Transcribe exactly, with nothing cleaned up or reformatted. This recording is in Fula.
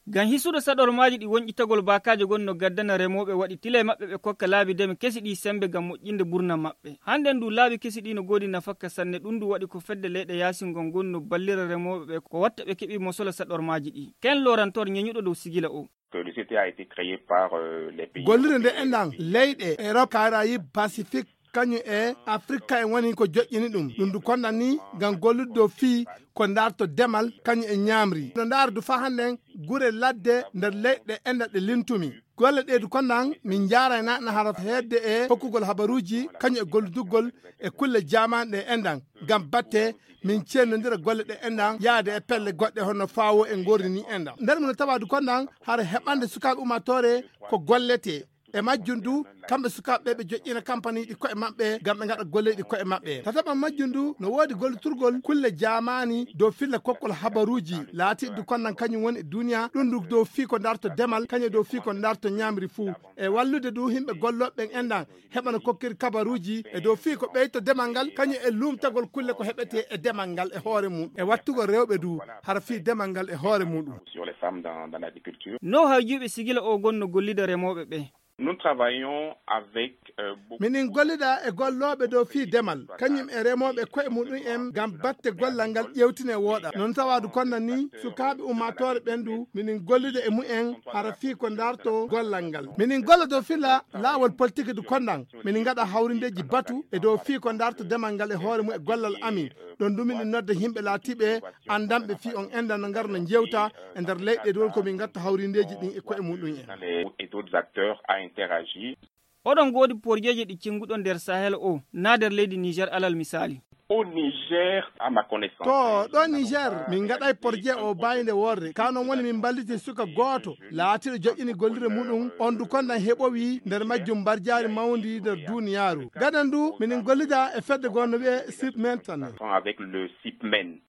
Ngam hisude saɗormaaji ɗi, wonƴitagol baakaaje gon no gaddana remooɓe waɗi tile maɓɓe ɓe kokka laabi deme kesi ɗi semmbe ngam moƴƴinde ɓurnam maɓɓe. Hannden du laabi kesi ɗi no goodi nafakka sanne, ɗum du waɗi ko fedde leyɗe yaasin ngon gon no ballira remooɓe ɓe ko watta ɓe keɓi mosola saɗormaaji ɗi. Ken Lorantor ñeñuɗo dow sigila o. Gollirde nde enɗan leyɗe Erop, Karayib, Pasifik, kañum e Afrika en woni ko joƴƴini ɗum. Ɗum du konɗan ni ngam gollude dow fii ko ndaarto demal kañum e ñaamri. No ndaara du faa hannden gure ladde nder leyɗe enɗan ɗe lintumi. Golle ɗe du konɗan min njaaraynaa na hara heedde e hokkugol habaruuji kañum e golludugol e kulle jaamaane ɗe enɗan ngam batte min ceennondira golle ɗe enɗan yaade e pelle goɗɗe hono faawo e ngorri ni enɗan. Nder mum no tawa du konɗan hara heɓande sukaaɓe ummaatoore ko golletee. E majjum du kamɓe sukaaɓe ɓe ɓe joƴƴina kampaniiji ko'e maɓɓe ngam ɓe ngaɗa golleeji ko'e maɓɓe. Tataɓan majjum du no woodi gollitirgol kulle jaamaani dow filla kokkol habaruuji laatiiɗi du konɗan kañum woni e duuniya ɗum du dow fii ko ndaarto demal kañum e dow fii ko ndaarto ñaamri fuu. E wallude du yimɓe gollooɓe ɓen enɗan heɓana kokkiri kabaruuji e dow fii ko ɓeyto demal ngal kañum e luumtagol kulle ko heɓetee e demal ngal e hoore mum e wattugol rewɓe du hara fii demal ngal e hoore muɗum. No hawjuuɓe sigila o gon no gollida remooɓe ɓe. Minin gollida e gollooɓe dow fii demal kañum e remooɓe ko'e muɗum en ngam batte gollal ngal ƴeewtine wooɗa. Non tawa du konɗan ni sukaaɓe ummaatoore ɓen du minin gollida e mumen hara fii ko ndaarto gollal ngal. Minin golla dow filla laawol politiki du konɗan. Minin ngaɗa hawrindeeji batu e dow fii ko ndaarto demal ngal e hoore mum e gollal amin. Ɗon du minin nodda yimɓe laatiiɓe anndanɓe fii on enɗan no ngara no njeewta e nder leyɗe du woni ko min ngatta hawrindeeji ɗin e ko'e muɗum en. Oɗon ngoodi porjeeji ɗi cinnguɗon nder Sahel o naa nder leydi Niger alal misaali. To ɗo Niger min ngaɗay porje o baynde worre ka non woni min mballiti suka gooto laatiiɗo joƴƴini gollirde muɗum on du konɗan heɓowi nder majjum mbarjaari mawndi nder duuniyaaru. Gadan du minin gollida e fedde goo no wi'ee Sipmen tan.